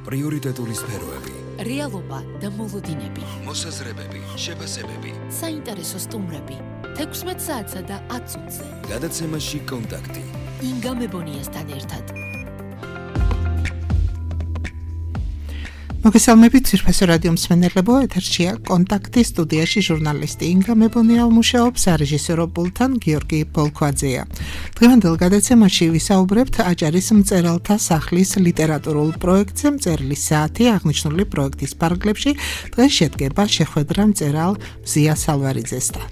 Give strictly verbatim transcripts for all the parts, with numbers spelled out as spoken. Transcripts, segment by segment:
პრიორიტეტული სფეროები, რეალობა და მოლოდინები, მოსაზრებები, შეფასებები, საინტერესო სტუმრები, თექვსმეტ საათსა და ათ წუთზე. გადაცემაში კონტაქტი. ინგა მებონიასთან ერთად. მოგესალმებით ძვირფასო რადიო მსმენელებო, ეთერშია კონტაქტი, სტუდიაში ჟურნალისტი ინგა მებონია მუშაობს, სარეჟისორო პულტთან გიორგი ბოლქვაძეა. დღევანდელ გადაცემაში ვისაუბრებთ აჭარის მწერალთა სახლის ლიტერატურულ პროექტზე, მწერლის საათი აღნიშნული პროექტის პარაგლებში დღეს შედგება შეხვედრა მწერალ მზია სალვარიძესთან.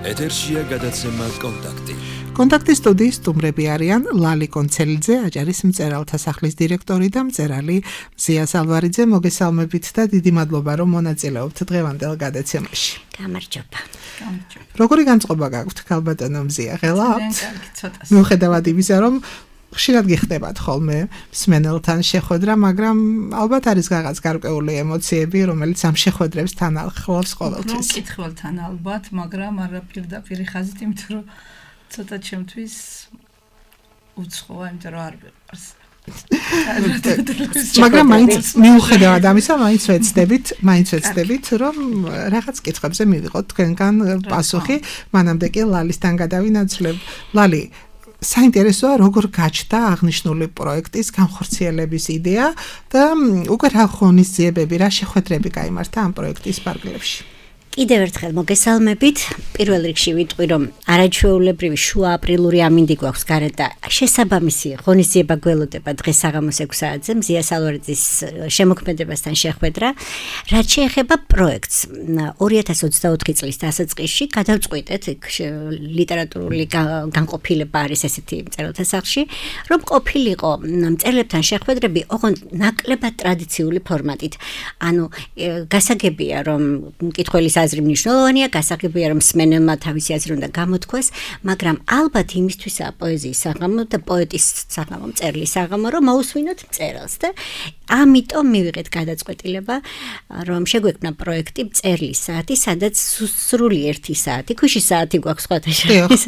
ეთერშია გადაცემა კონტაქტი. კონტაქტის სტუდიის სტუმრები არიან ლალი კონცელიძე, აჭარის მწერალთა სახლის დირექტორი და მწერალი მზია სალვარიძე. მოგესალმებით და დიდი მადლობა, რომ მონაწილეობთ დღევანდელ გადაცემაში. გამარჯობა. როგორი განწყობა გაქვთ, ქალბატონო მზია? ღელავთ? ცოტა. მიუხედავად იმისა, რომ ხშირად გიხდებათ ხოლმე მსმენელთან შეხვედრა, მაგრამ ალბათ არის რაღაც გარკვეული ემოციები, რომელიც ამ შეხვედრებს თან ახლავს ყოველთვის. მკითხველთან ალბათ, მაგრამ არა პირდაპირ ხაზით, იმიტომ რომ ცოტა ჩემთვის უცხოა, იმიტომ რომ არ ვიყავს. მაგრამ მაინც მიუხედავად ამისა, მაინც ვეცდებით, მაინც ვეცდებით, რომ რაღაც კითხვებზე მივიღოთ თქვენგან პასუხი, მანამდე კი ლალისთან გადავინაცვლებ. ლალი, საინტერესოა, როგორ გაჩნდა აღნიშნული პროექტის განხორციელების იდეა და უკვე რა ღონისძიებები, რა შეხვედრები გაიმართა ამ პროექტის პარაგლებში. კიდევ ერთხელ მოგესალმებით. პირველ რიგში ვიტყვი, რომ არაჩვეულებრივი შუა აპრილური ამინდი გვაქვს გარეთ და შესაბამისი ღონისძიება გველოდება დღეს საღამოს ექვსი საათზე მზია სალვარიძის შემოქმედებასთან შეხვედრა. რაც შეეხება პროექტს, ორი ათას ოცდაოთხი წლის დასაწყისში გადავწყვიტეთ, ლიტერატურული განყოფილება არის ესეთი მწერალთა სახლში, რომ ყოფილიყო მწერლებთან შეხვედრები ოღონდ ნაკლებად ტრადიციული ფორმატით. ანუ გასაგებია, რომ მკითხველის აზრი მნიშვნელოვანია, გასაგებია, რომ მსმენელმა თავისი აზრი უნდა გამოთქვას, მაგრამ ალბათ იმისთვისაა პოეზიის საღამო და პოეტის საღამო, მწერლის საღამო, რომ მოусვინოთ მწერალს და ამიტომ მივიღეთ გადაწყვეტილება, რომ შეგვექმნა პროექტი მწერლის საათი, სადაც სრული ერთი საათი, ქვიშის საათი გვაქვს სხვათა შორის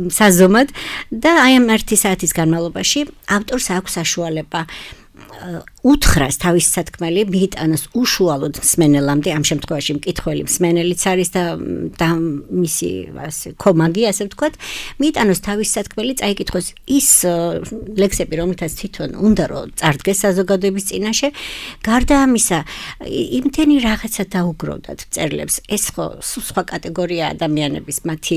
საზომად და აი ამ ერთი საათის განმავლობაში ავტორს აქვს საშუალება უთხრას თავის სათქმელი მიიტანოს უშუალოდ მსმენელამდე, ამ შემთხვევაში მკითხველი მსმენელიც არის და და მისი ასე კომაგი, ასე ვთქვათ, მიიტანოს თავის სათქმელი, წაიკითხოს ის ლექსები, რომლითაც თვითონ უნდა რომ წარდგეს საზოგადოების წინაშე. გარდა ამისა, იმდენი რაღაცა დაუგროვდათ მწერლებს. ეს ხო სხვა კატეგორია ადამიანების, მათი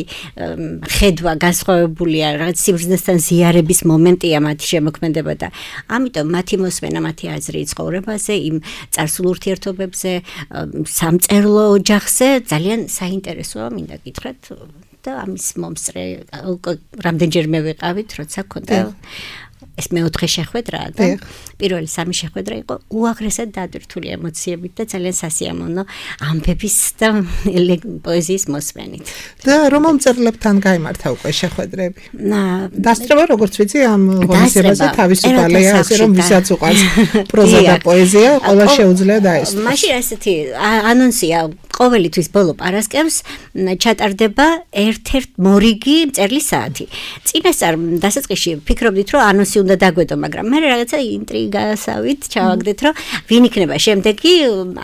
ხედვა განსხვავებულია, რაღაც სიბრძნესთან ზიარების მომენტია მათი შემოქმედება და ამიტომ მათი მოსმენა, მათი აზრი ცხოვრებაზე, იმ წარსულ ურთიერთობებზე, სამწერლო ოჯახზე ძალიან საინტერესოა, მინდა გითხრათ და ამის მომსწრე რამდენჯერმე ვიყავით, როცა ქონდა ეს მეოთხე შეხვედრაა და პირველი სამი შეხვედრა იყო უაღრესად დატვირთული ემოციებით და ძალიან სასიამოვნო ამბების და პოეზიის მოსმენით. და რომელ მწერლებთან გაიმართა უკვე შეხვედრები? დასწრება, როგორც ვიცი, ამ ღონისძიებაზე თავისუფალია, ასე რომ ვისაც უყვარს პროზა და პოეზია, ყველა შეუძლია დაესწროს. მაშინ ასეთი ანონსია, ყოველი თვის ბოლო პარასკევს ჩატარდება ერთ-ერთ მორიგი მწერლის საათი. წინასწარ დასაწყისში ფიქრობდით, რომ ანონსი უნდა დაგვედო, მაგრამ მე რაღაცა ინტრიგასავით ჩავაგდეთ, რომ ვინ იქნება შემდეგი,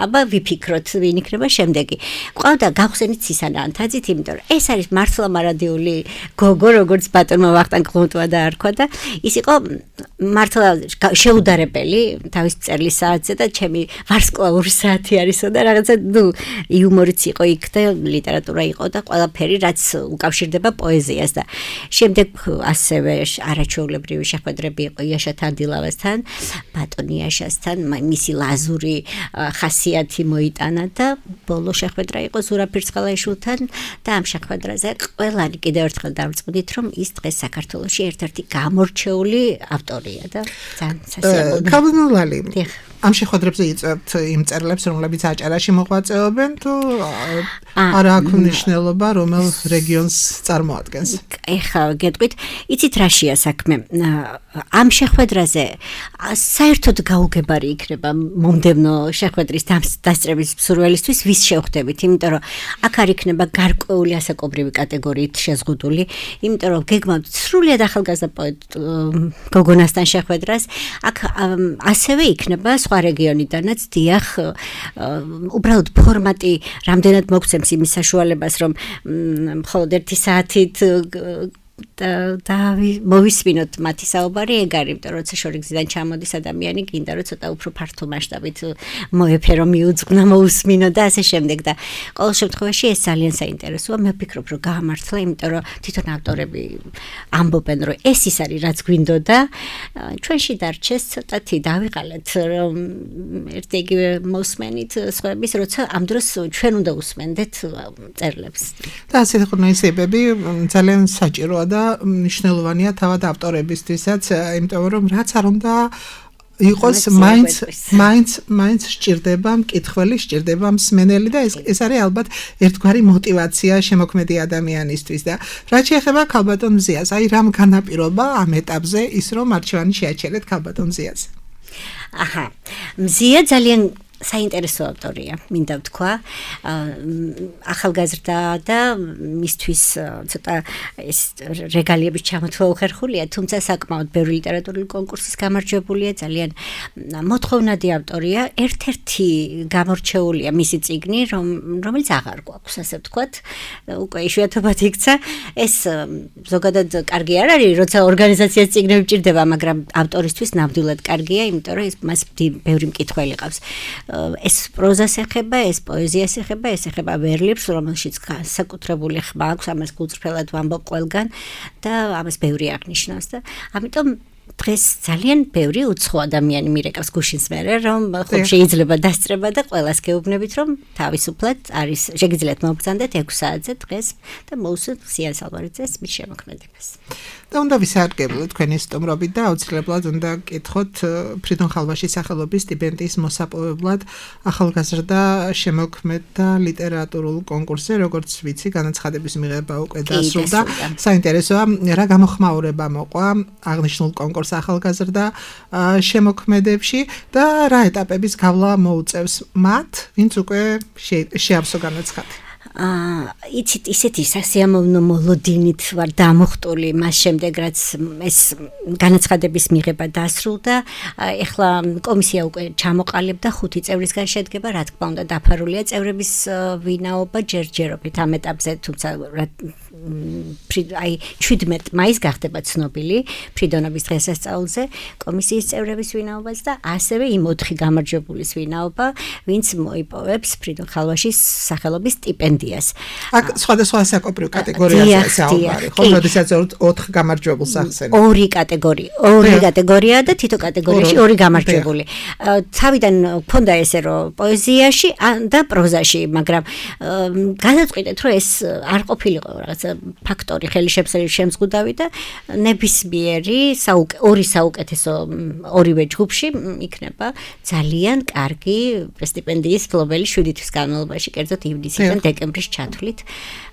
აბა ვიფიქროთ, ვინ იქნება შემდეგი. ყავდა გავხსენით სისანა ანთაძით, იმიტომ რომ ეს არის მართლა მარადიული გოგო, როგორც ბატონმა ვახტანგ ყლუმტვა დაარქვა და ის იყო მართლა შეუდარებელი თავის მწერლის საათზე და ჩემი ვარსკვლავური საათი არისო და რაღაცა ნუ იუმორიც იყო იქ და ლიტერატურა იყო და ყველაფერი, რაც უკავშირდება პოეზიას და შემდეგ ასევე არაჩვეულებრივი შეხვედრები იყო იაშა თანდილავასთან, ბატონ იაშასთან, მისი ლაზური ხასიათი მოიტანა და ბოლო შეხვედრა იყო ზურაბ ფირცხალაიშვილთან და ამ შეხვედრაზე ყველანი კიდევ ერთხელ დავწყვიტით, რომ ის დღეს საქართველოში ერთ-ერთი გამორჩეული ავტორია და ძალიან სასიამოვნო. ქალბატონო, ამ შეხვედრებზე იწვევთ იმ მწერლებს, რომლებიც აჭარაში მოღვაწეობენ, თუ არა აქვს მნიშვნელობა რომელ რეგიონს წარმოადგენს. ეხლა გეტყვით, იცით რაშია საქმე? ამ შეხვედრაზე საერთოდ გაუგებარი იქნება მომდევნო შეხვედრის დასწრების მსურველისთვის ვის შევხვდებით, იმიტომ რომ აქ არ იქნება გარკვეული ასაკობრივი კატეგორიით შეზღუდული, იმიტომ რომ გეგმავთ სრულიად ახალგაზრდა პოეტ გოგონასთან შეხვედრას, აქ ასევე იქნება სხვა რეგიონიდანაც, დიახ, უბრალოდ ფორმატი რამდენად მოგცემს იმის საშუალებას, რომ მხოლოდ ერთი საათით და მოვისმინოთ მათი საუბარი, ეგ არის, იმიტომ რომ როცა შორიგზიდან ჩამოდის ადამიანი, გინდა რომ ცოტა უფრო ფართო მასშტაბით მოეფერო, მიუძღვნა, მოусმინო და ასე შემდეგ და ყოველ შემთხვევაში ეს ძალიან საინტერესოა. მე ვფიქრობ, რომ გაამართლა, იმიტომ რომ თვითონ ავტორები ამბობენ, რომ ეს ის არის, რაც გვინდოდა. ჩვენში დარჩეს ცოტათი დავიყალეთ, რომ ერთ იგივე მოსმენით სხვების, როცა ამ დროს ჩვენ უნდა უსმენდეთ წერილებს. და ასე ღონისძიებები ძალიან საჭიროა და მნიშვნელოვანია თავად ავტორებისთვისაც, იმიტომ რომ რაც არ უნდა იყოს მაინც მაინც მაინც სჭირდება მკითხველი, სჭირდება მსმენელი და ეს ეს არის ალბათ ერთგვარი мотиваცია შემოქმედი ადამიანისთვის და რაც შეეხება ქალბატონ მზიას, აი რამ განაპირობა ამ ეტაპზე ის რომ არჩევანი შეაჩერეთ ქალბატონ მზიას. აჰა, მზია ძალიან საინტერესო ავტორია, მინდა ვთქვა, ახალგაზრდა და მისთვის ცოტა ეს რეგალიების ჩამოთვლა უხერხულია, თუმცა საკმაოდ ბევრი ლიტერატურული კონკურსის გამარჯვებულია, ძალიან მოთხოვნადი ავტორია, ერთ-ერთი გამორჩეულია მისი წიგნი, რომელიც აღარ გვაქვს, ასე ვთქვათ, უკვე იშვიათობად იქცა, ეს ზოგადად კარგი არ არის, როცა ორგანიზაციას წიგნები ჭირდება, მაგრამ ავტორისთვის ნამდვილად კარგია, იმიტომ რომ მას ბევრი მკითხველი ყავს. ეს პროზას ეხება, ეს პოეზიას ეხება, ეს ეხება ვერლებს, რომელშიც საკუთრებული ხმა აქვს, ამას გულწრფელად ვამბობ ყველგან და ამას ბევრი აღნიშნავს და ამიტომ დღეს ძალიან ბევრი უცხო ადამიანი მირეკავს გუშინს მერე, რომ ხომ შეიძლება დასწრება და ყველას გეუბნებით, რომ თავისუფლად არის, შეგიძლიათ მოგბრძანდეთ ექვს საათზე დღეს და მოусვით მზიან სალვარიძეს მის შემოქმედებას. და უნდა ვისარგებლოთ თქვენი სტუმრობით და აუცილებლად უნდა გკითხოთ ფრიდონ ხალვაშის სახელობის სტიპენდიის მოსაპოვებლად ახალგაზრდა შემოქმედთა ლიტერატურულ კონკურსზე, როგორც ვიცი, განაცხადების მიღება უკვე დასრულდა. საინტერესოა, რა გამოხმაურება მოყვა აღნიშნულ კონკურს ახალგაზრდა შემოქმედებში და რა ეტაპების გავლა მოუწევს მათ, ვინც უკვე შეავსო განაცხადი. აა იცით ისეთი სასიამოვნო მოლოდინით ვარ დამოხტული მას შემდეგ რაც ეს განაცხადების მიღება დასრულდა. ეხლა კომისია უკვე ჩამოყალიბდა, ხუთი წევრისგან შედგება, რა თქმა უნდა დაფარულია წევრების ვინაობა ჯერჯერობით ამ ეტაპზე, თუმცა აი შვიდმეტ მაისს გახდება ცნობილი ფრიდონობის დღესასწაულზე კომისიის წევრების ვინაობაც და ასევე იმ ოთხი გამარჯვებულის ვინაობა, ვინც მოიპოვებს ფრიდონ ხალვაშის სახელობის სტიპენდიას. აქ სხვადასხვა საკონკურსო კატეგორიაზე საუბარი, ხო, როდესაც ოთხ გამარჯვებულს ახსენებ. ორი კატეგორია, ორი კატეგორია და თითო კატეგორიაში ორი გამარჯვებული. თავიდან მქონდა ესე რომ პოეზიაში და პროზაში, მაგრამ გადავწყვიტეთ რომ ეს არ ყოფილიყო რაღაცა ფაქტორი ხელშემსრელი შემზღუდავი და ნებისმიერი ორი საუკეთესო ორივე ჯგუფში იქნება ძალიან კარგი სტიპენდიის ფლობელი შვიდი თვის განმავლობაში, კერძოდ ივნისიდან დეკემბრის ჩათვლით.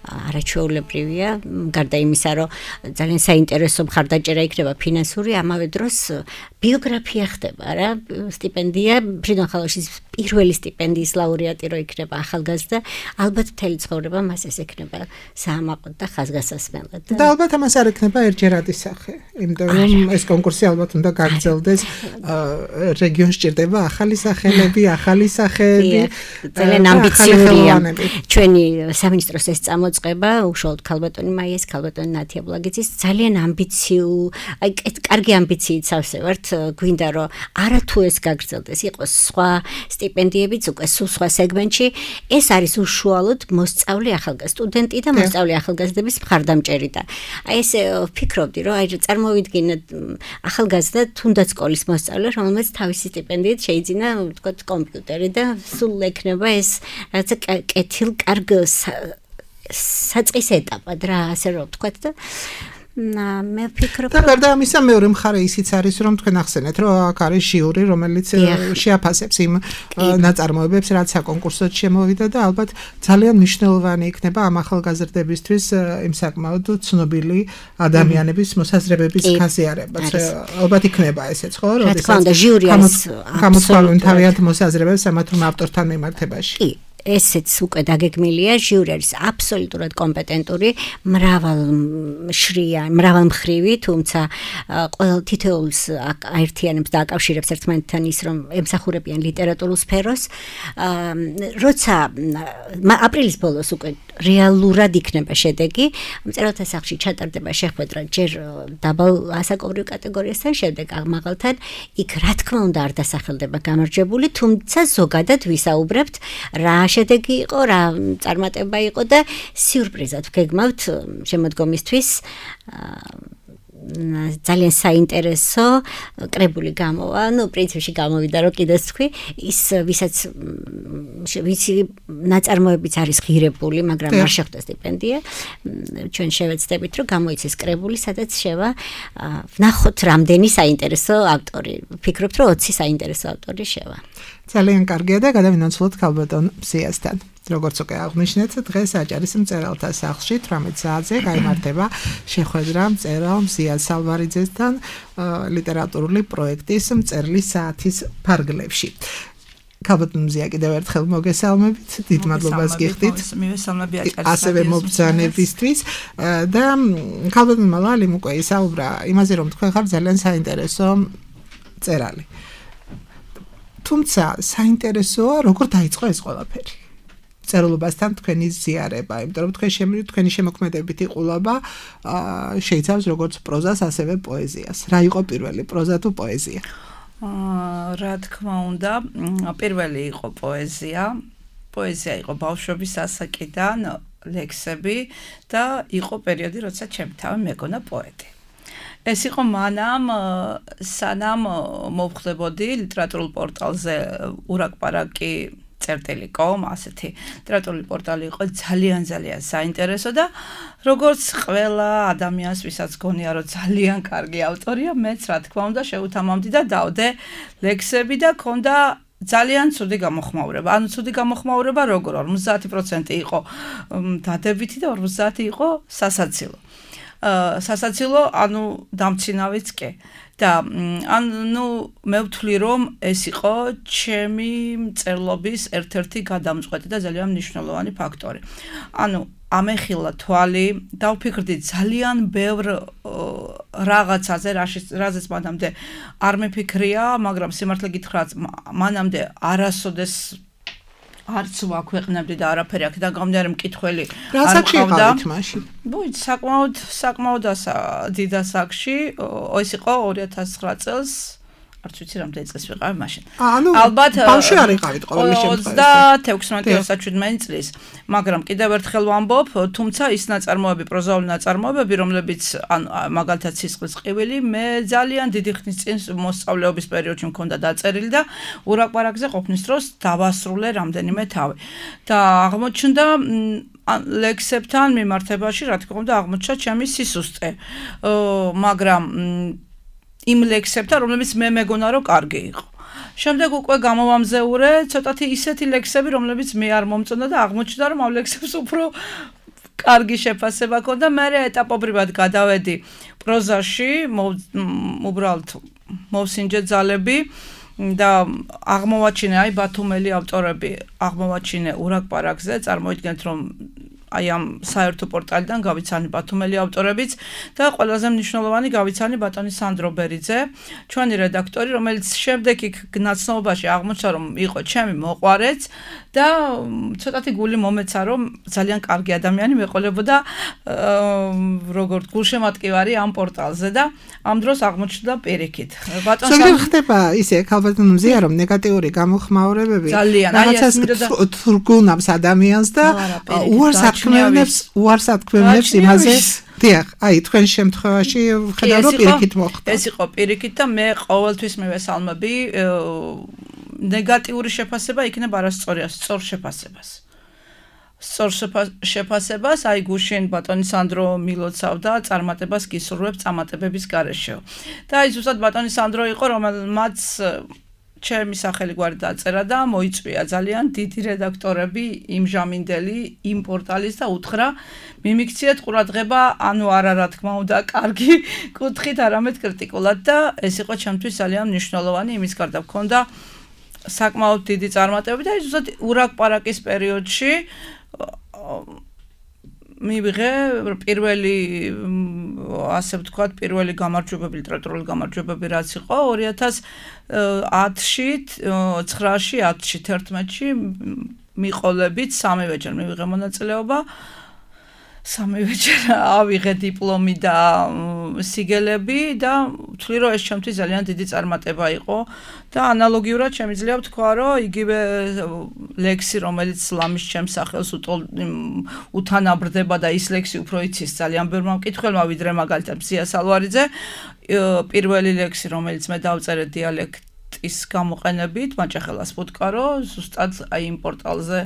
არაჩვეულებრივია, გარდა იმისა, რომ ძალიან საინტერესო მხარდაჭერა იქნება ფინანსური, ამავე დროს ბიოგრაფია ხდება რა, სტიპენდია, ფრიდონ ხალვაშის პირველი სტიპენდიის ლაურეატი რო იქნება ახალგაზრდა, ალბათ მთელი ცხოვრება მას ეს ექნება საამაყოდ და ხაზგასასმელად. და ალბათ ამას არ ექნება ერთჯერადი სახე, იმიტომ რომ ეს კონკურსი ალბათ უნდა გაგრძელდეს, რეგიონს ჭირდება ახალი სახელები, ახალი სახეები, ძალიან ამბიციურია. ჩვენი სამინისტროს ეს წამოწყება, უშუალოდ ქალბატონი მაიას, ქალბატონი ნათია ბლაგიძის ძალიან ამბიციუ, აი კარგი ამბიციით სავსე ვართ, გვინდა რომ არა თუ ეს გაგრძელდეს, იყოს სხვა სტიპენდიებიც უკვე სულ სხვა სეგმენტში, ეს არის უშუალოდ მოსწავლე ახალგაზრდა სტუდენტი და მოსწავლე ახალგაზრდების მხარდამჭერი და აი ესე ვფიქრობდი, რომ აი წარმოვიდგინეთ ახალგაზრდა თუნდაც სკოლის მოსწავლე, რომელმაც თავისი სტიპენდიით შეიძინა, ვთქვათ, კომპიუტერი და სულ ექნება ეს რაღაცა კეთილ კარგ საწყის ეტაპად რა, ასე რომ ვთქვათ და მე ვფიქრობ და გარდა ამისა მეორე მხარე ისიც არის რომ თქვენ ახსენეთ რომ აქ არის ჟიური რომელიც შეაფასებს იმ ნაწარმოებებს რაც საკონკურსოდ შემოვიდა და ალბათ ძალიან მნიშვნელოვანი იქნება ამ ახალგაზრდებისთვის იმ საკმაოდ ცნობილი ადამიანების მოსაზრებების გაზიარებაც ალბათ იქნება ესეც ხო როდესაც გამოთვალენ თავიანთ მოსაზრებებს ამა თუ ავტორთან მიმართებაში კი ესეც უკვე დაგეგმილია ჟიური არის აბსოლუტურად კომპეტენტური მრავალშრიანი მრავალმხრივი თუმცა ყოველ თითოეულს აერთიანებს და აკავშირებს ერთმანეთთან ის რომ ემსახურებიან ლიტერატურულ სფეროს როცა აპრილის ბოლოს უკვე რეალურად იქნება შედეგი მწერალთა სახლში ჩატარდება შეხვედრა ჯერ დაბალ ასაკობრივ კატეგორიასთან შემდეგ აღმაღალთან იქ რა თქმა უნდა არ დასახელდება გამარჯვებული თუმცა ზოგადად ვისაუბრებთ რა შედეგი იყო, რა წარმატება იყო და სიურპრიზად ვგეგმავთ შემოდგომისთვის ძალიან საინტერესო კრებული გამოვა, ну, პრინციპში გამოვიდა რომ კიდეც თქვი, ის ვისაც ვიცი ნაწარმოებიც არის ღირებული, მაგრამ არ შეხვდა სტიპენდია. ჩვენ შევეცდებით რომ გამოიცეს კრებული, სადაც შევა ვნახოთ რამდენი საინტერესო ავტორი. ვფიქრობთ რომ ოცი საინტერესო ავტორი შევა. ძალიან კარგია და გადავინაცვლოთ ქალბატონ მზიასთან. როგორც უკვე აღნიშნეთ, დღეს აჭარის მწერალთა სახლში თვრამეტ საათზე გაიმართება შეხვედრა მწერალ მზია სალვარიძესთან ლიტერატურული პროექტის მწერლის საათის ფარგლებში. ქალბატონ მზია კიდევ ერთხელ მოგესალმებით, დიდ მადლობას გიხდით. მივესალმები აჭარის ასევე მობრძანებისთვის და ქალბატონ მალალიმ უკვე ისაუბრა იმაზე, რომ თქვენ ხართ ძალიან საინტერესო მწერალი. თუმცა საინტერესოა როგორ დაიწყო ეს ყველაფერი. წერილობასთან თქვენი ზიარება, იმიტომ რომ თქვენ შემი თქვენი შემოქმედებითი ყურება შეიცავს როგორც პროზას, ასევე პოეზიას. რა იყო პირველი, პროზა თუ პოეზია? აა, რა თქმა უნდა, პირველი იყო პოეზია. პოეზია იყო ბავშვობის ასაკიდან, ლექსები და იყო პერიოდი, როცა ჩემი თავი მეგონა პოეტი. ეს იყო მანამ სანამ მოვხდებოდი ლიტერატურულ პორტალზე ურაკპარაკი წერტილი კომ ასეთი ლიტერატურული პორტალი იყო ძალიან ძალიან საინტერესო და როგორც ყველა ადამიანს ვისაც გონია რომ ძალიან კარგი ავტორია მეც რა თქმა უნდა შეუთამამდი და დავდე ლექსები და ქონდა ძალიან ცუდი გამოხმაურება. ანუ ცუდი გამოხმაურება როგორ ორმოცდაათი პროცენტი იყო დადებითი და ორმოცდაათი იყო სასაცილო. სასაცილო, ანუ დამცინავიც კი. და ანუ მე ვთვლი რომ ეს იყო ჩემი მწერლობის ერთ-ერთი გადამწყვეტი და ძალიან მნიშვნელოვანი ფაქტორი. ანუ ამეხილა თვალი და ვფიქრდი ძალიან ბევრ რაღაცაზე, რაზეც მანამდე არ მეფიქრია, მაგრამ სიმართლე გითხრათ, მანამდე არასოდეს არც ვაქვეყნებდი და არაფერი აქედან გამომდინარე მკითხველი არ მყავდა. ბუი, საკმაოდ საკმაოდ დიდ ასაკში, ეს იყო ორი ათას ცხრა წელს, არც ვიცი რამდენი წელს ვიყავი მაშინ. ალბათ ბავშვი არ იყავით ყოველი შემთხვევაში. ოცდაათი ოცდაშვიდი წლის, მაგრამ კიდევ ერთხელ ვამბობ, თუმცა ის ნაწარმოები, პროზაული ნაწარმოებები, რომლებიც ან მაგალითად სისხლის ყივილი, მე ძალიან დიდი ხნის წინ მოსწავლეობის პერიოდში მქონდა დაწერილი და ურაკპარაკზე ყოფნის დროს დავასრულე რამდენიმე თავი. და აღმოჩნდა ლექსებთან მიმართებაში, რა თქმა უნდა, აღმოჩნდა ჩემი სისუსტე. მაგრამ იმ ლექსებთან, რომლებიც მე მეგონა რომ კარგი იყო. შემდეგ უკვე გამოვამზეურე ცოტათი ისეთი ლექსები, რომლებიც მე არ მომწონდა და აღმოჩნდა რომ ამ ლექსებს უფრო კარგი შეფასება ჰქონდა. მე ეტაპობრივად გადავედი პროზაში, უბრალოდ მოვსინჯე ძალები და აღმოვაჩინე აი ბათუმელი ავტორები, აღმოვაჩინე ურაკპარაკზე, წარმოიდგინეთ რომ აი ამ საერთო პორტალიდან გავიცანი ბათუმელი ავტორებიც და ყველაზე მნიშვნელოვანი გავიცანი ბატონი სანდრო ბერიძე, ჩვენი რედაქტორი, რომელიც შემდეგ იქ ნაცნობობაში აღმოჩნდა რომ იყო ჩემი მოყვარეც და ცოტათი გული მომეცა რომ ძალიან კარგი ადამიანი მეყოლებოდა როგორც გულშემატკივარი ამ პორტალზე და ამ დროს აღმოჩნდა პირიქით. ბატონ სანდრო ხდება ისე ქალბატონ მზია რომ ნეგატიური გამოხმაურებები რაღაცას თურგუნავს ადამიანს და უარს ქმნებს უარს ათქმევს იმაზე. დიახ, აი თქვენ შემთხვევაში ხედავ რომ პირიქით მოხდა. ეს იყო პირიქით და მე ყოველთვის მივესალმები ნეგატიური შეფასება იქნება არასწორია, სწორ შეფასებას. სწორ შეფასებას აი გუშინ ბატონი სანდრო მილოცავდა წარმატებას გისურვებს წარმატებების გარეშე. და აი ზუსტად ბატონი სანდრო იყო, რომელმაც ჩემი სახელი გვარი დაწერა და მოიწვია ძალიან დიდი რედაქტორები იმჟამინდელი იმ პორტალის და უთხრა მიმიქციეთ ყურადღება, ანუ არა რა თქმა უნდა კარგი კუთხით, არამედ კრიტიკულად და ეს იყო ჩემთვის ძალიან მნიშვნელოვანი, იმის გარდა მქონდა საკმაოდ დიდი წარმატებები და ზუსტად ურაკ-პარაკის პერიოდში მივიღე პირველი ასე ვთქვათ პირველი გამარჯვებები ლიტერატურული გამარჯვებები რაც იყო ორი ათას ათში ცხრაში ათში თერთმეტში მიყოლებით სამივეჯერ მივიღე მონაწილეობა სამივეჯერ ავიღე დიპლომი და სიგელები და ვთვლი რომ ეს ჩემთვის ძალიან დიდი წარმატება იყო და ანალოგიურად შემიძლია ვთქვა რომ იგივე ლექსი რომელიც ლამის ჩემს სახელს უთანაბრდება და ის ლექსი უფრო იცის ძალიან ბევრმა მკითხველმა ვიდრე მაგალითად მზია სალვარიძე პირველი ლექსი რომელიც მე დავწერე დიალექტის გამოყენებით მაჭახელას ფუტკარო ზუსტად აი იმ პორტალზე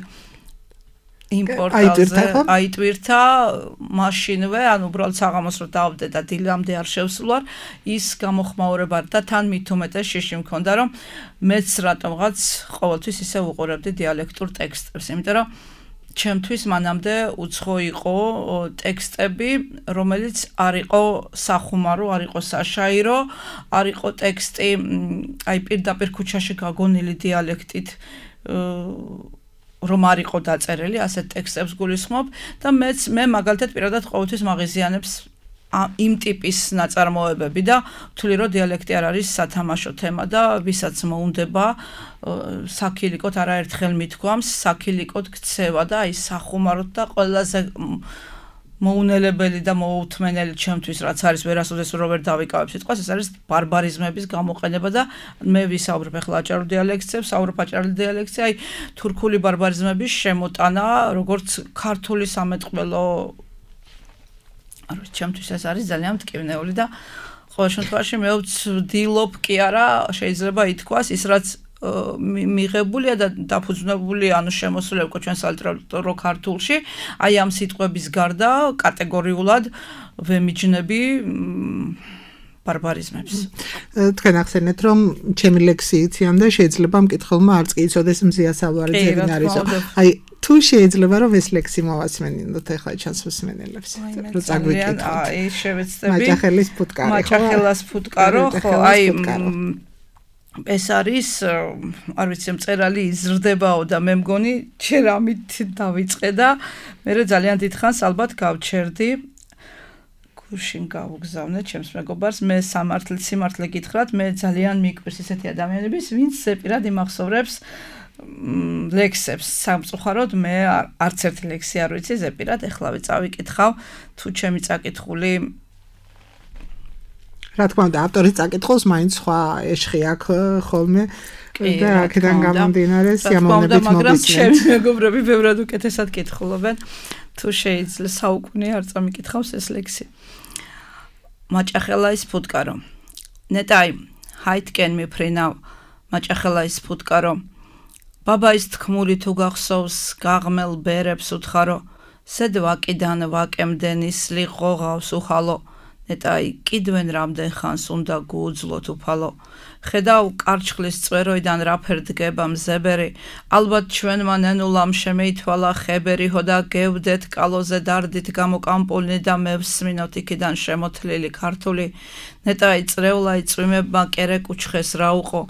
იმ პორტალზე აიტვირთა მაშინვე, ანუ უბრალოდ საღამოს რო დავდე და დილამდე არ შევსულვარ, ის გამოხმაურება და თან მით უმეტეს შიში მქონდა, რომ მეც რატომღაც ყოველთვის ისე უყურებდი დიალექტურ ტექსტებს, იმიტომ რომ ჩემთვის მანამდე უცხო იყო ტექსტები, რომელიც არ იყო სახუმარო, არ იყო საშაირო, არ იყო ტექსტი, აი პირდაპირ ქუჩაში გაგონილი დიალექტით რომ არ იყო დაწერილი, ასეთ ტექსტებს გულისხმობ და მეც მე მაგალითად პირადად ყოველთვის მაღიზიანებს იმ ტიპის ნაწარმოებები და ვთვლი რომ დიალექტი არ არის სათამაშო თემა და ვისაც მოუნდება საქილიკოდ არაერთხელ მithქვამს, საქილიკოდ ქცევა და აი სახუმაროდ და ყველაზე მოუნელებელი და მოუთმენელი ჩემთვის რაც არის ვერასოდეს რო ვერ დავიკავებ სიტყვას ეს არის ბარბარიზმების გამოყენება და მე ვისაუბრებ ახლა აჭარულ დიალექტზე, ვსაუბრობ აჭარულ დიალექტზე, აი თურქული ბარბარიზმების შემოტანა, როგორც ქართული სამეთყველო არის ჩემთვის ეს არის ძალიან მტკივნეული და ყოველ შემთხვევაში მე ვცდილობ კი არა შეიძლება ითქვას ის რაც მიღებულია და დაფუძნებული ანუ შემოსული უკვე ჩვენ სალიტერატურო ქართულში აი ამ სიტყვების გარდა კატეგორიულად ვემიჯნები ბარბარიზმებს. თქვენ ახსენეთ რომ ჩემი ლექსი იციან და შეიძლება მკითხველმა არც კი იცოდეს მზია სალვარიძე ვინ არისო. აი თუ შეიძლება რომ ეს ლექსი მოვასმენინოთ ახლა ჩანს მსმენელებს. რო წაგვიკითხოთ. აი შევეცდები. მაჭახელის ფუტკარი. მაჭახელას ფუტკარო ხო აი ეს არის არ ვიცი მწერალი იზრდებაო და მე მგონი ჯერ ამით დავიწყე და მე ძალიან დიდხანს ალბათ გავჩერდი გუშინ გავუგზავნე ჩემს მეგობარს მე სამართლით სიმართლე გითხრათ მე ძალიან მიკვირს ესეთი ადამიანების ვინც ზეპირად იმახსოვრებს ლექსებს სამწუხაროდ მე არც ერთი ლექსი არ ვიცი ზეპირად ეხლავე წავიკითხავ თუ ჩემი წაკითხული რა თქმა უნდა ავტორის წაკითხულს მაინც სხვა ეშხი აქვს ხოლმე და აქედან გამომდინარე სიამოვნებით მოგისმენთ. მაგრამ ჩემი მეგობრები ბევრად უკეთესად კითხულობენ თუ შეიძლება საუკუნე არ წამიკითხავს ეს ლექსი. მაჭახელაის ფუტკარო. ნეტაი ჰაიტკენ მიფრინავ მაჭახელაის ფუტკარო. ბაბაის თქმული თუ გახსოვს გაღმელ ბერებს უთხარო სედ ვაკიდან ვაკემდენის ლიყოღავს უხალო ნეტაი კიდვენ რამდენ ხანს უნდა გუუძლოთ უფალო ხედავ კარჩხლის წვეროიდან რაფერ დგება მზებერი ალბათ ჩვენმა ნენულამ შემეითვალა ხებერი ჰოდა გევდეთ კალოზე დარდით გამოკამპულნი და მევსმინოთ იქიდან შემოთლილი ქართული ნეტაი წრევლაი წვიმებმა კერეკ უჩხეს რა უყო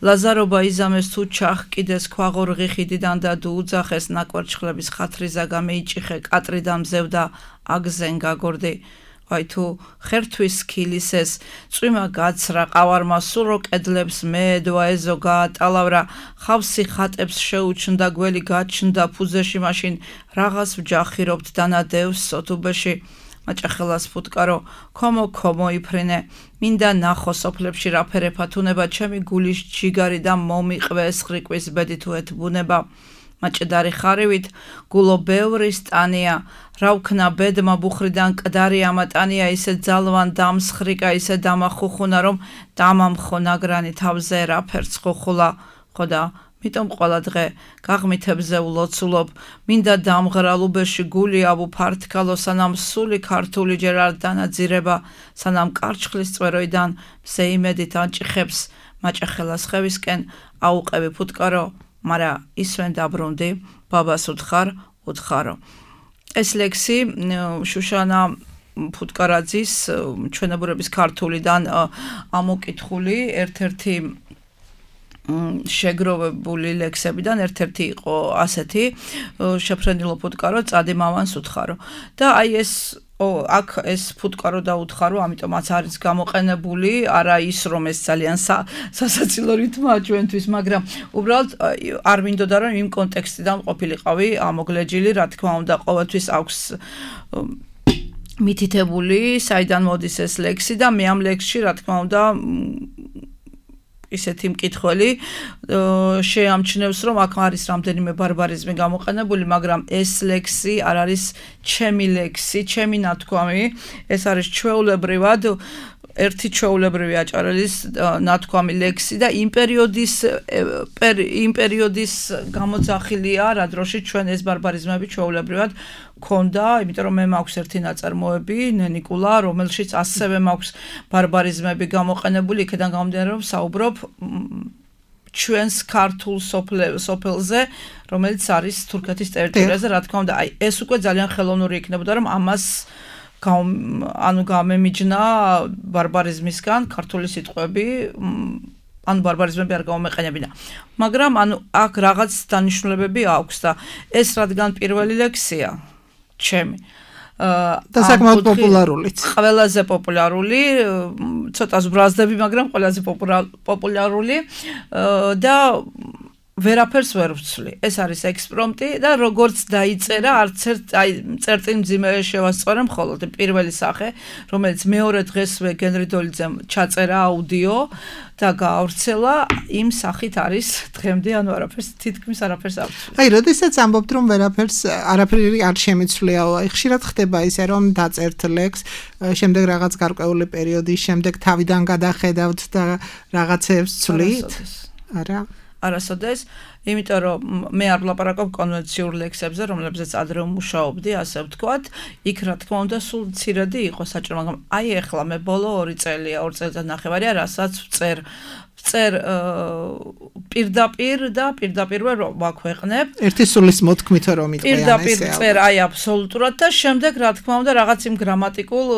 ლაზარობა იზამეს თუ ჩახკიდეს ქვაღორღი ხიდიდან და დუუძახეს ნაკვერჩხლების ხათრიზა გამეიჭიხე კატრიდან მზევდა აგზენ გაგორდი აი თუ ხერთვის ქილისეს წვიმა გაცრა ყავარმა სულო კედლებს მეედვა ეზო გაატალავრა ხავსი ხატებს შეუჩნდა გველი გაჩნდა ფუძეში მაშინ რაღაც ვჯახირობთ დანადევს სოთუბეში მაჭახელას ფუტკარო ქომო ქომო იფრინე მინდა ნახო სოფლებში რაფერე ფათუნება ჩემი გულის ჯიგარი და მომიყვეს ხრიკვის ბედი თუ ეთბუნება მაჭედარი ხარივით გულო ბევრი სტანია რავქნა ბედმა ბუხრიდან კდარი ამატანია ისე ძალვან დამსხრიკა ისე დამახუხუნა რომ დამამხო ნაგრანი თავზე რაფერც ხუხულა ხოდა მიტომ ყველა დღე გაღმითებზე ვლოცულობ, მინდა დამღრალუბეში გული ავუფართქალო, სანამ სული ქართული ჯერ არ დანაძირება, სანამ კარჩხლის წვეროიდან მზე იმედით ანჭიხებს, მაჭახელას ხევისკენ აუყევი ფუტკარო, მარა ისვენ დაბრუნდი, ბაბას უთხარ, უთხარო. ეს ლექსი შუშანა ფუტკარაძის ჩვენებურების ქართულიდან ამოკითხული ერთ-ერთი შეგროვებული ლექსებიდან ერთ-ერთი იყო ასეთი შეფრენილო ფუტკარო, წადი მავანს უთხარო. და აი ეს აქ ეს ფუტკარო და უთხარო, ამიტომაც არის გამოყენებული, არა ის რომ ეს ძალიან სასაცილო რითმაა ჩვენთვის, მაგრამ უბრალოდ არ მინდოდა რომ იმ კონტექსტიდან ყოფილიყავი ამოგლეჯილი, რა თქმა უნდა, ყოველთვის აქვს მითითებული, საიდან მოდის ეს ლექსი და მე ამ ლექსში, რა თქმა უნდა, ისეთი მკითხველი შეამჩნევს, რომ აქ არის რამდენიმე ბარბარიზმი გამოყენებული, მაგრამ ეს ლექსი არ არის ჩემი ლექსი, ჩემი ნათქვამი, ეს არის ჩვეულებრივად ერთი ჩვეულებრივი აჭარელის ნათქვამი ლექსი და იმ პერიოდის იმ პერიოდის გამოძახილია, რა დროში ჩვენ ეს ბარბარიზმები ჩვეულებრივად ქონდა, იმიტომ რომ მე მაქვს ერთი ნაწარმოები, ნენიკულა, რომელშიც ასევე მაქვს ბარბარიზმები გამოყენებული, იქიდან გამომდინარე, რომ საუბრობ ჩვენს ქართულ სოფელზე, რომელიც არის თურქეთის ტერიტორიაზე, რა თქმა უნდა, აი ეს უკვე ძალიან ხელოვნური იქნებოდა, რომ ამას ანუ გამემიჯნა ბარბარიზმისგან ქართული სიტყვები, ანუ ბარბარიზმები არ გამომეყენებინა. მაგრამ ანუ აქ რაღაც დანიშნულებები აქვს და ეს რადგან პირველი ლექსია ჩემი და საკმაოდ პოპულარულიც. ყველაზე პოპულარული, ცოტა ზბრაზდები, მაგრამ ყველაზე პოპულარული და ვერაფერს ვერ ვცვლი. ეს არის ექსპრომტი და როგორც დაიწერა, არც ერთ აი წერტილმძიმე შევასწორე მხოლოდ პირველი სახე, რომელიც მეორე დღესვე გენრი დოლიძემ ჩაწერა აუდიო და გაავრცელა, იმ სახით არის დღემდე, ანუ არაფერს თითქმის არაფერს არ ვცვლი. აი, როდესაც ამბობთ, რომ ვერაფერს არაფერი არ შემიცვლიაო, აი ხშირად ხდება ისე, რომ დაწერთ ლექს, შემდეგ რაღაც გარკვეული პერიოდის შემდეგ თავიდან გადახედავთ და რაღაცებს ვცვლით? არა. არასოდეს, იმიტომ რომ მე არ ვლაპარაკობ კონვენციურ ლექსებზე, რომლებზეც ადრე ვმუშაობდი, ასე ვთქვათ, იქ რა თქმა უნდა სულ მცირედი იყო საჭირო, მაგრამ აი ეხლა მე ბოლო ორი წელია, ორ წელიწად ნახევარია, რასაც ვწერ ვწერ პირდაპირ და პირდაპირვე ვაქვეყნებ. ერთი სულის მოთქმით რომ იყვიან ესე. პირდაპირ წერ აი აბსოლუტურად და შემდეგ რა თქმა უნდა რაღაც იმ გრამატიკულ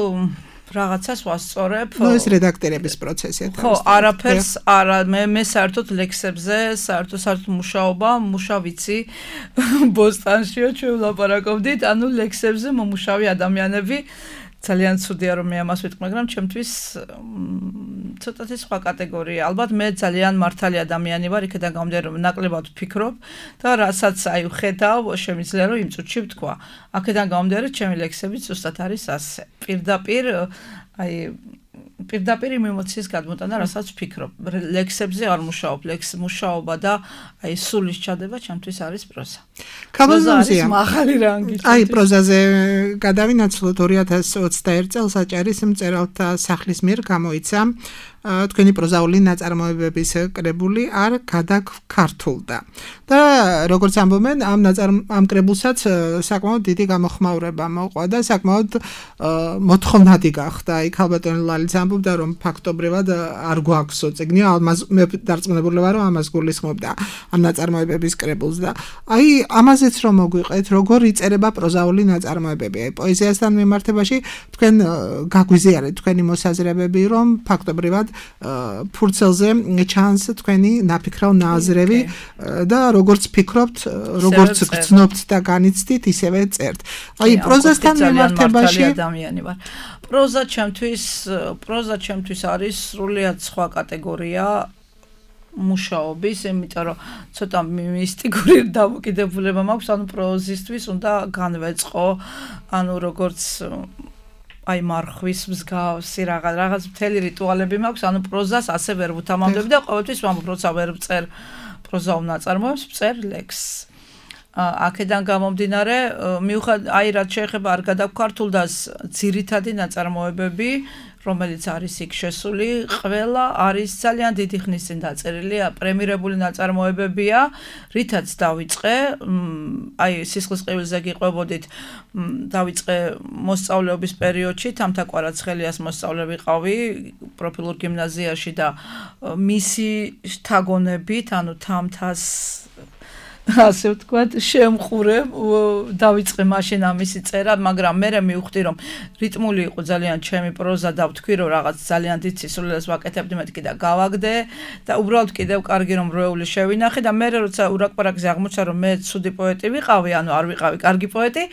რაღაცას ვასწორებ. ნუ ეს რედაქტორების პროცესია. ხო, არაფერს არა, მე მე საერთოდ ლექსებზე, საერთოდ საერთოდ მუშაობა, მუშავიცი ბოსტანშიო ჩვენ ვლაპარაკობდით, ანუ ლექსებზე მომუშავი ადამიანები ძალიან ცუდია რომ მე ამას ვიტყვი, მაგრამ ჩემთვის ცოტათი სხვა კატეგორია. ალბათ მე ძალიან მართალი ადამიანი ვარ, იქიდან გამომდინარე რომ ნაკლებად ვფიქრობ და რასაც აი ვხედავ, შემიძლია რომ იმ წუთში ვთქვა. აქედან გამომდინარე ჩემი ლექსები ზუსტად არის ასე. პირდაპირ აი პირდაპირ იმ ემოციის გადმოტანა, რასაც ვფიქრობ. ლექსებზე არ მუშაობ, ლექს მუშაობა და აი სულის ჩადება ჩემთვის არის პროზა. კაბაზონზია. მაღალი რანგი. აი პროზაზე გადავინაცვლოთ ორი ათას ოცდაერთი წელს აჭარის მწერალთა სახლის მიერ გამოიცა თქვენი პროზაული ნაწარმოებების კრებული არ გადაგქართულდა. და როგორც ამბობენ, ამ ამ კრებულსაც საკმაოდ დიდი გამოხმაურება მოყვა და საკმაოდ მოთხოვნადი გახდა. იქ ალბათონი ლალიც ამბობდა, რომ ფაქტობრივად არ გვაქვსო წიგნი, ამას მე დარწმუნებული ვარ, რომ ამას გულისხმობდა ამ ნაწარმოებების კრებულს და აი ამაზეც რომ მოგვიყეთ, როგორ იწერება პროზაული ნაწარმოებები. აი პოეზიასთან მიმართებაში თქვენ გაგვიზიარეთ თქვენი მოსაზრებები, რომ ფაქტობრივად ფურცელზე ჩანს თქვენი ნაფიქრაო ნაზრები და როგორც ფიქრობთ, როგორც გრძნობთ და განიცდით, ისევე წერთ. აი პროზასთან მიმართებაში ადამიანი ვარ. პროზა ჩემთვის, პროზა ჩემთვის არის სრულიად სხვა კატეგორია მუშაობის, იმიტომ რომ ცოტა მისტიკური დამოკიდებულება მაქვს, ანუ პროზისთვის უნდა განვეწყო, ანუ როგორც აი მარხვის მსგავსი რაღაც რაღაც მთელი რიტუალები მაქვს, ანუ პროზას ასე ვერ ვუთამამდები და ყოველთვის ვამბობ, როცა ვერ ვწერ პროზაულ ნაწარმოებს, ვწერ ლექსს. აქედან გამომდინარე, მიუხედავად აი რაც შეეხება არ გადაგქვართულდას ძირითადი ნაწარმოებები, რომელიც არის იქ შესული, ყველა არის ძალიან დიდი ხნის წინ დაწერილი, პრემირებული ნაწარმოებებია, რითაც დავიწყე, აი სისხლის ყივილზე გიყვებოდით, დავიწყე მოსწავლეობის პერიოდში, თამთა კვარაცხელიას მოსწავლე ვიყავი პროფილურ გიმნაზიაში და მისი შთაგონებით, ანუ თამთას ასე ვთქვათ, შემხურე დავიწყე მაშინ ამისი წერა, მაგრამ მე მივხვდი, რომ რიტმული იყო ძალიან ჩემი პროზა და ვთქვი, რომ რაღაც ძალიან დიდ სისულელს ვაკეთებდი, მე კიდე გავაგდე და უბრალოდ კიდევ კარგი რომ როეული შევინახე და მე როცა ურაკპარაკზე აღმოჩნდა, რომ მე ცუდი პოეტი ვიყავი, ანუ არ ვიყავი კარგი პოეტი,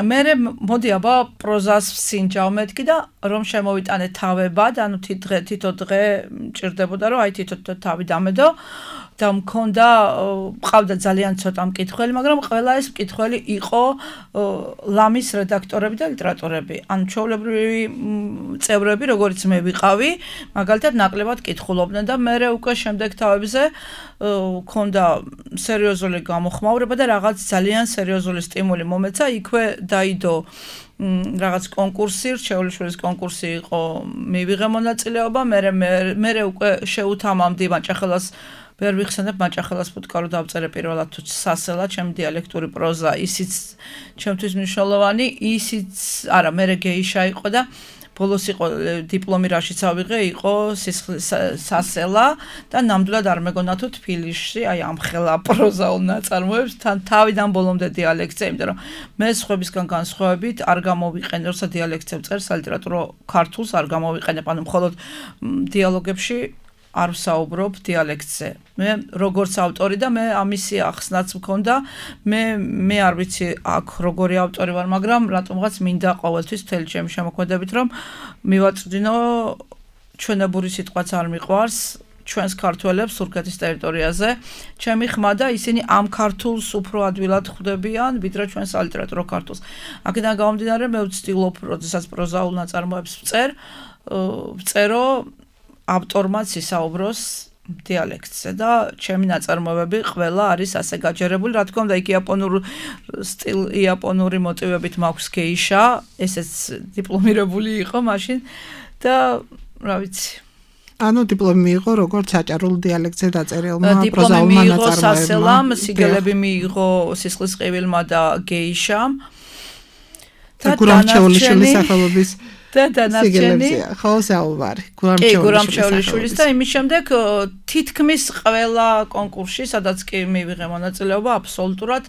მე მოდი აბა პროზას ვსინჯავ მეთქი და რომ შემოვიტანე თავებად, ანუ თითო დღე მჭირდებოდა, რომ აი თითო თავი დამედო და მქონდა ყავდა ძალიან ცოტა მკითხველი, მაგრამ ყველა ეს მკითხველი იყო ლამის რედაქტორები და ლიტერატორები. ანუ ჩვეულებრივი წევრები, როგორც მე ვიყავი, მაგალითად ნაკლებად კითხულობდნენ და მე უკვე შემდეგ თავებზე მქონდა სერიოზული გამოხმაურება და რაღაც ძალიან სერიოზული სტიმული მომეცა, იქვე დაიდო რაღაც კონკურსი, რჩეულიშვილის კონკურსი იყო, მივიღე მონაწილეობა, მე მე უკვე შეუთამამდი მაჭახელას ვერ ვიხსენებ მაჭახელას ფუტკარო დავწერე პირველად თუ სასელა, ჩემი დიალექტური პროზა, ისიც ჩემთვის მნიშვნელოვანი, ისიც არა, მე გეიშა იყო და ბოლოს იყო დიპლომი რაშიც ავიღე, იყო სასელა და ნამდვილად არ მეგონა თუ თბილისში, აი ამ ხელა პროზაულ ნაწარმოებს თან თავიდან ბოლომდე დიალექტზე, იმიტომ რომ მე სხვებისგან განსხვავებით არ გამოვიყენე, როცა დიალექტზე ვწერ სალიტერატურო ქართულს არ გამოვიყენებ, ანუ მხოლოდ დიალოგებში არ ვსაუბრობ დიალექტზე. მე როგორც ავტორი და მე ამისი ახსნაც მქონდა, მე მე არ ვიცი აქ როგორი ავტორი ვარ, მაგრამ რატომღაც მინდა ყოველთვის მთელი ჩემი შემოქმედებით რომ მივაწვდინო ჩვენებური სიტყვაც არ მიყვარს ჩვენს ქართველებს თურქეთის ტერიტორიაზე. ჩემი ხმა და ისინი ამ ქართულს უფრო ადვილად ხვდებიან, ვიდრე ჩვენ სალიტერატურო ქართულს. აქედან გამომდინარე, მე ვცდილობ, როდესაც პროზაულ ნაწარმოებს ვწერ, ვწერო ავტორმაც ისაუბროს დიალექტზე და ჩემი ნაწარმოებები ყველა არის ასე გაჯერებული, რა თქმა უნდა, იქ იაპონურ სტილ იაპონური მოტივებით მაქვს გეიშა, ესეც დიპლომირებული იყო მაშინ და რა ვიცი. ანუ დიპლომი მიიღო როგორც საჭარულ დიალექტზე დაწერილმა პროზაულმა დიპლომი მიიღო ნაწარმოებმა. სასელამ, სიგელები მიიღო სისხლის ყივილმა და გეიშამ. და გურამჩეულიშვილის სახელობის და დანარჩენი ხო საუბარი გურამჩეულიშვილის და იმის შემდეგ თითქმის ყველა კონკურსში, სადაც კი მივიღე მონაწილეობა, აბსოლუტურად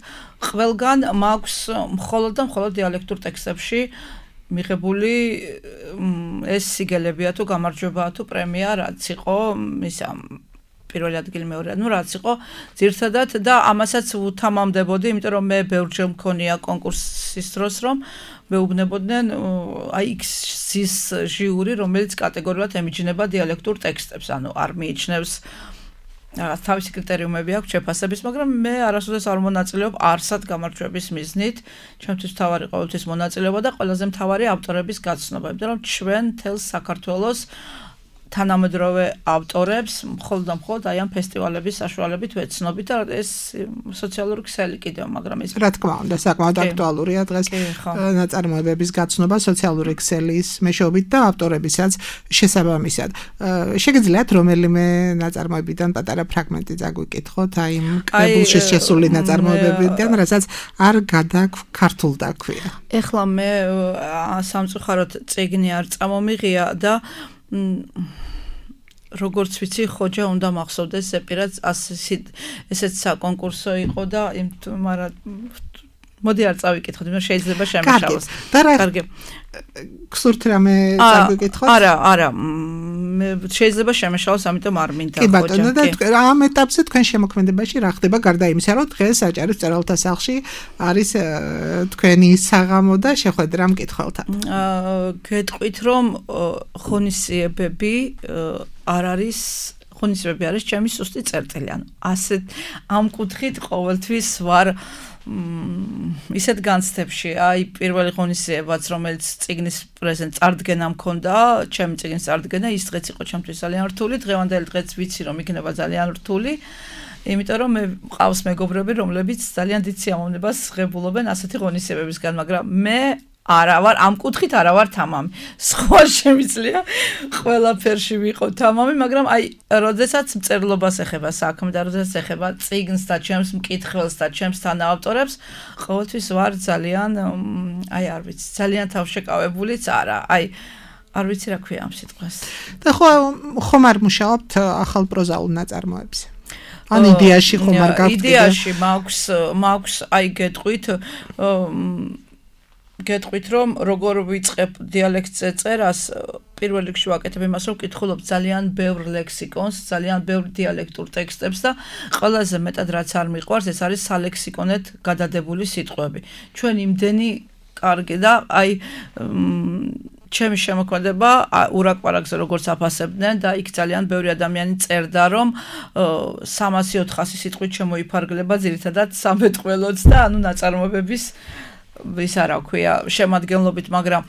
ყველგან მაქვს მხოლოდ და მხოლოდ დიალექტურ ტექსტებში მიღებული ეს სიგელებია თუ გამარჯვებაა თუ პრემია, რაც იყო ისა პირველი ადგილი მეორე, ну რაც იყო ძირთადად და ამასაც უთამამდებოდი, იმიტომ რომ მე ბევრჯერ მქონია კონკურსის დროს, რომ მეუბნებოდნენ აი X-ის ჟიური, რომელიც კატეგორიულად ემიჯნება დიალექტურ ტექსტებს, ანუ არ მიიჩნევს რაღაც თავისი კრიტერიუმები აქვს შეფასების, მაგრამ მე არასოდეს არ მონაწილეობ არსად გამარჯვების მიზნით. ჩემთვის მთავარი ყოველთვის მონაწილეობა და ყველაზე მთავარი ავტორების გაცნობა, იმიტომ რომ ჩვენ თელს საქართველოს თანამედროვე ავტორებს მხოლოდ და მხოლოდ აი ამ ფესტივალების საშუალებით ვეცნობით და ეს სოციალური ქსელი კიდევ, მაგრამ ეს რა თქმა უნდა, საკმაოდ აქტუალურია დღეს ნაწარმოებების გაცნობა სოციალური ქსელის მეშვეობით და ავტორებისაც შესაბამისად. შეგიძლიათ რომელიმე ნაწარმოებიდან პატარა ფრაგმენტი წაგვიკითხოთ, აი იმ კრებულში შესული ნაწარმოებებიდან, რასაც არ გადაქართულდა ქვია. ეხლა მე სამწუხაროდ წიგნი არ წამომიღია და როგორც ვიცი, ხოჯა უნდა მახსოვდეს ზეპირაც ესეც საკონკურსო იყო და მაგრამ მოდი არ წავიკითხოთ, მაგრამ შეიძლება შემეშალოს. კარგი. გსურთ რამე წავიკითხოთ? არა, არა. მე შეიძლება შემეშალოს, ამიტომ არ მინდა ხოჯა. კი ბატონო, და ამ ეტაპზე თქვენ შემოქმედებაში რა ხდება გარდა იმისა, რომ დღეს საჭირო მწერალთა სახლში არის თქვენი საღამო და შეხვედრა მკითხველთან. გეტყვით, რომ ღონისძიებები არ არის ღონისძიებები არის ჩემი სუსტი წერტილი, ანუ ასეთ ამ კუთხით ყოველთვის ვარ ისეთ განცდებში, აი პირველი ღონისძიებაც, რომელიც წიგნის პრეზენტ წარდგენა მქონდა, ჩემი წიგნის წარდგენა, ის დღეც იყო ჩემთვის ძალიან რთული, დღევანდელი დღეც ვიცი, რომ იქნება ძალიან რთული იმიტომ რომ მე მყავს მეგობრები, რომლებიც ძალიან დიდ სიამოვნებას ღებულობენ ასეთი ღონისძიებებისგან, მაგრამ მე არა ვარ ამ კუთხით არა ვარ თამამი. სხვა შემიძლია ყველაფერში ვიყო თამამი, მაგრამ აი, როდესაც მწერლობას ეხება საქმე და როდესაც ეხება წიგნს და ჩემს მკითხველს და ჩემს თანაავტორებს, ყოველთვის ვარ ძალიან აი, არ ვიცი, ძალიან თავშეკავებულიც არა. აი, არ ვიცი რა ქვია ამ სიტყვას. და ხო ხომ არ მუშაობთ ახალ პროზაულ ნაწარმოებზე? ან იდეაში ხომ არ გაქვთ? იდეაში მაქვს მაქვს აი გეტყვით გეტყვით რომ როგორ ვიწყებ დიალექტზე წერას, პირველ რიგში ვაკეთებ იმას, რომ ვკითხულობ ძალიან ბევრ ლექსიკონს, ძალიან ბევრ დიალექტურ ტექსტებს და ყველაზე მეტად რაც არ მიყვარს, ეს არის სალექსიკონეთ გადადებული სიტყვები. ჩვენ იმდენი კარგი და აი ჩემი შემოქმედება ურაკპარაკზე როგორც აფასებდნენ და იქ ძალიან ბევრი ადამიანი წერდა რომ სამასი ოთხასი სიტყვით შემოიფარგლება ძირითადად სამეთყველოც და ანუ ნაწარმოებების ვის არა ქვია შემადგენლობით, მაგრამ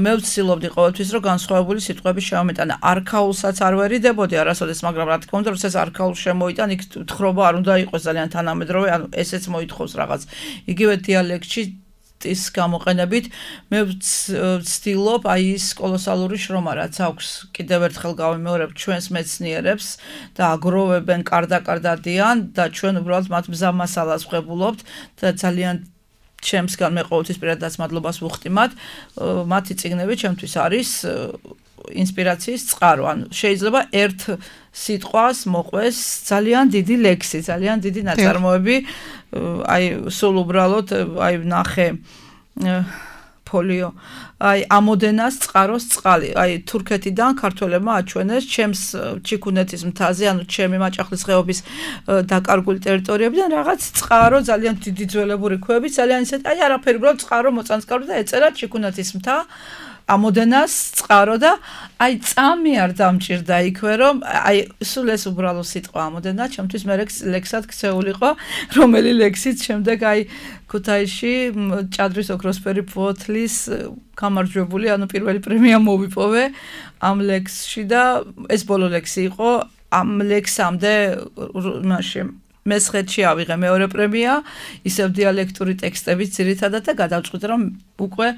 მე ვცდილობდი ყოველთვის რომ განსხვავებული სიტყვები შევამეტანა. არქაულსაც არ ვერიდებოდი არასოდეს, მაგრამ რა თქმა უნდა, რომ ეს არქაულ შემოიტან, იქ თხრობა არ უნდა იყოს ძალიან თანამედროვე, ანუ ესეც მოითხოვს რაღაც. იგივე დიალექტში ის გამოყენებით მე ვცდილობ აი ის კოლოსალური შრომა რაც აქვს კიდევ ერთხელ გავიმეორებ ჩვენს მეცნიერებს და აგროვებენ კარდა-კარდადიან და ჩვენ უბრალოდ მათ მზამასალას ვღებულობთ და ძალიან ჩემსგან მე ყოველთვის პირადად მადლობას ვუხდი მათ მათი წიგნები ჩემთვის არის ინსპირაციის წყარო ანუ შეიძლება ერთ სიტყვას მოყვეს ძალიან დიდი ლექსი ძალიან დიდი ნაწარმოები აი სულ უბრალოდ აი ნახე ფოლიო აი ამოდენას წყაროს წყალი აი თურქეთიდან ქართველებმა აჩვენეს ჩემს ჩიქუნეთის მთაზე ანუ ჩემი მაჭახლის ხეობის დაკარგული ტერიტორიებიდან რაღაც წყარო ძალიან დიდი ძველებური ქვები ძალიან ისეთ აი არაფერი უბრალოდ წყარო მოწანწკავდა და ეწერა ჩიქუნეთის მთა ამოდენას წყარო და აი წამი არ დამჭირდა იქვე რომ აი სულ ეს უბრალო სიტყვა ამოდენა ჩემთვის მე ლექსად ქცეულიყო რომელი ლექსიც შემდეგ აი ქუთაისში ჭადრის ოქროსფერი ფოთლის გამარჯვებული ანუ პირველი პრემია მოვიპოვე ამ ლექსში და ეს ბოლო ლექსი იყო ამ ლექსამდე მაშინ მესხეთში ავიღე მეორე პრემია ისევ დიალექტური ტექსტებით ძირითადად და გადავწყვიტე რომ უკვე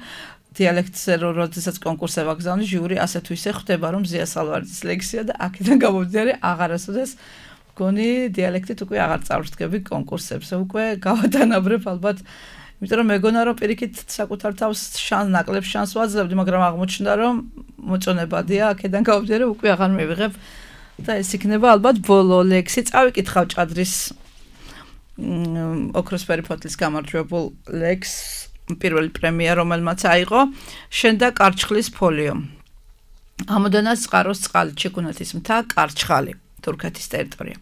დიალექტზე როდესაც კონკურსზე ვაგზავნე ჟიური ასე თუ ისე ხვდება რომ ზია სალვარდის ლექსია და აქედან გამომდინარე აღარასოდეს მგონი დიალექტით უკვე აღარ წავრთგები კონკურსებზე უკვე გავადანაბრებ ალბათ იმიტომ რომ მეგონა რომ პირიქით საკუთარ თავს შანს ნაკლებ შანს ვაძლევდი მაგრამ აღმოჩნდა რომ მოწონებადია აქედან გამომდინარე უკვე აღარ მივიღებ და ეს იქნება ალბათ ბოლო ლექსი წავიკითხავ ჭადრის ოქროსფერი ფოთლის გამარჯვებულ ლექსს პირველი პრემია რომელმაც აიღო შენ და კარჩხლის ფოლიო ამოდენას წყაროს წყალი ჩიქუნეთის მთა კარჩხალი თურქეთის ტერიტორია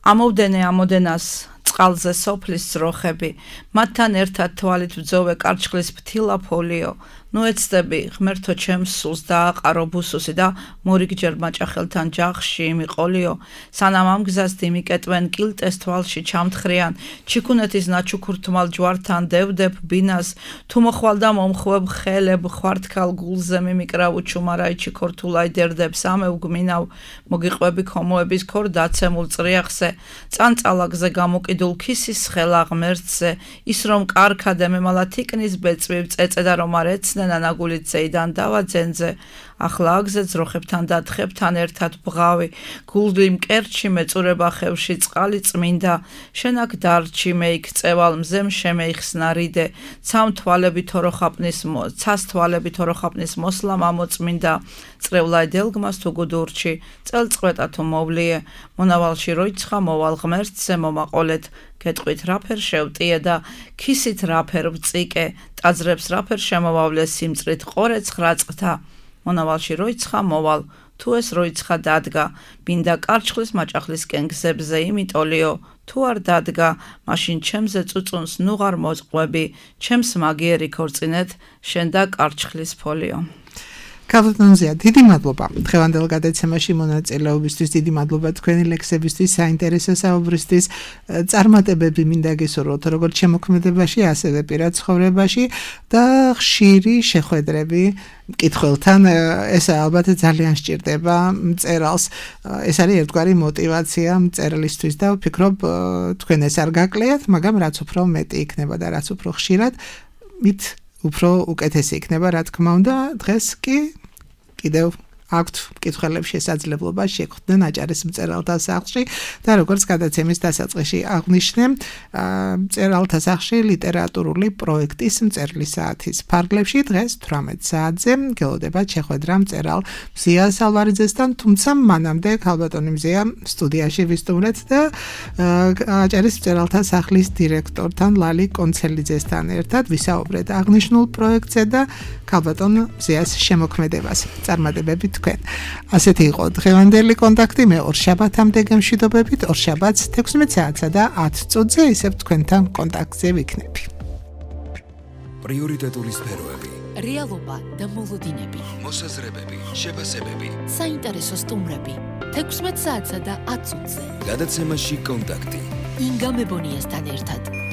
ამოვდენე ამოდენას წყალზე სოფლის ძროხები მათთან ერთად თვალით ვძოვე კარჩხლის ფთილა ფოლიო ნუ ეცდები ღმერთო ჩემს სულს დააყარო ბუსუსი და მორიგჯერ მაჭახელთან ჯახში იმიყოლიო სანამ ამ გზას დიმიკეტვენ კილტეს თვალში ჩამთხრიან ჩიქუნეთის ნაჩუქურთმალ ჯვართან დევდებ ბინას თუ მოხვალ და მომხვებ ხელებ ხვართქალ გულზე მიმიკრავ უჩუმარაიჩი ქორთულაი დერდებ სამევ გმინავ მოგიყვები ქომოების ქორ დაცემულ წრიახზე წანწალაგზე გამოკიდულ ქისის ხელა ღმერთზე ის რომ კარქადე მემალა თიკნის ბეწვი წეწე და რომ არ ეცნე ნანაგულით ზეიდან დავაძენზე ახლა აგზე ძროხებთან და თხებთან ერთად ბღავი გულდი მკერჩი მეწურება ხევში წყალი წმინდა შენაკ დარჩი მეიქ წევალ მზემ შემეიხსნა რიდე ცამ თვალები თოროხაპნის ცას თვალები თოროხაპნის მოსლა მამოწმინდა წრევლაი დელგმას თუ გუდურჩი წელწყვეტა თუ მოვლიე მონავალში როიცხა მოვალ ღმერთზე მომაყოლეთ გეტყვით რაფერ შევტიე და ქისით რაფერ ვწიკე ტაძრებს რაფერ შემოვავლე სიმწრით ყორე ცხრაწყთა მონავალში როიცხა მოვალ თუ ეს როიცხა დადგა ბინდა კარჩხლის მაჭახლისკენ გზებზე იმიტოლიო თუ არ დადგა მაშინ ჩემზე წუწუნს ნუღარ მოწყყვები ჩემს მაგიერი ქორწინეთ შენ და კარჩხლის ფოლიო ქალბატონზეა, დიდი მადლობა დღევანდელ გადაცემაში მონაწილეობისთვის, დიდი მადლობა თქვენი ლექსებისთვის, საინტერესო საუბრისთვის, წარმატებები მინდა გესურვოთ როგორც შემოქმედებაში, ასევე პირად ცხოვრებაში და ხშირი შეხვედრები მკითხველთან, ეს ალბათ ძალიან სჭირდება მწერალს. ეს არის ერთგვარი мотиваცია მწერლისთვის და ვფიქრობ თქვენ ეს არ გაკლიათ, მაგრამ რაც უფრო მეტი იქნება და რაც უფრო ხშირად, მით უფრო უკეთესი იქნება, რა თქმა უნდა. დღეს კი კიდევ აქვთ მკითხველებს შესაძლებლობა შეხვდნენ აჭარის მწერალთა სახლში და როგორც გადაცემის დასაწყისში აღვნიშნე, მწერალთა სახლში ლიტერატურული პროექტის მწერლის საათის ფარგლებში დღეს თვრამეტ საათზე გელოდებათ შეხვედრა მწერალ მზია სალვარიძესთან, თუმცა მანამდე ქალბატონი მზია სტუდიაში ვისტუმრეთ და აჭარის მწერალთა სახლის დირექტორთან ლალი კონცელიძესთან ერთად ვისაუბრეთ აღნიშნულ პროექტზე და ქალბატონ მზიას შემოქმედებას. წარმატებები თქვენ. ასეთი იყო დღევანდელი კონტაქტი. მე ორშაბათამდე გემშვიდობებით, ორშაბათს თექვსმეტ საათსა და ათ წუთზე ისევ თქვენთან კონტაქტზე ვიქნები. პრიორიტეტული სფეროები, რეალობა და მოლოდინები, მოსაზრებები, შეფასებები, საინტერესო სტუმრები, თექვსმეტ საათსა და ათ წუთზე. გადაცემაში კონტაქტი. ინგა მებონიასთან ერთად.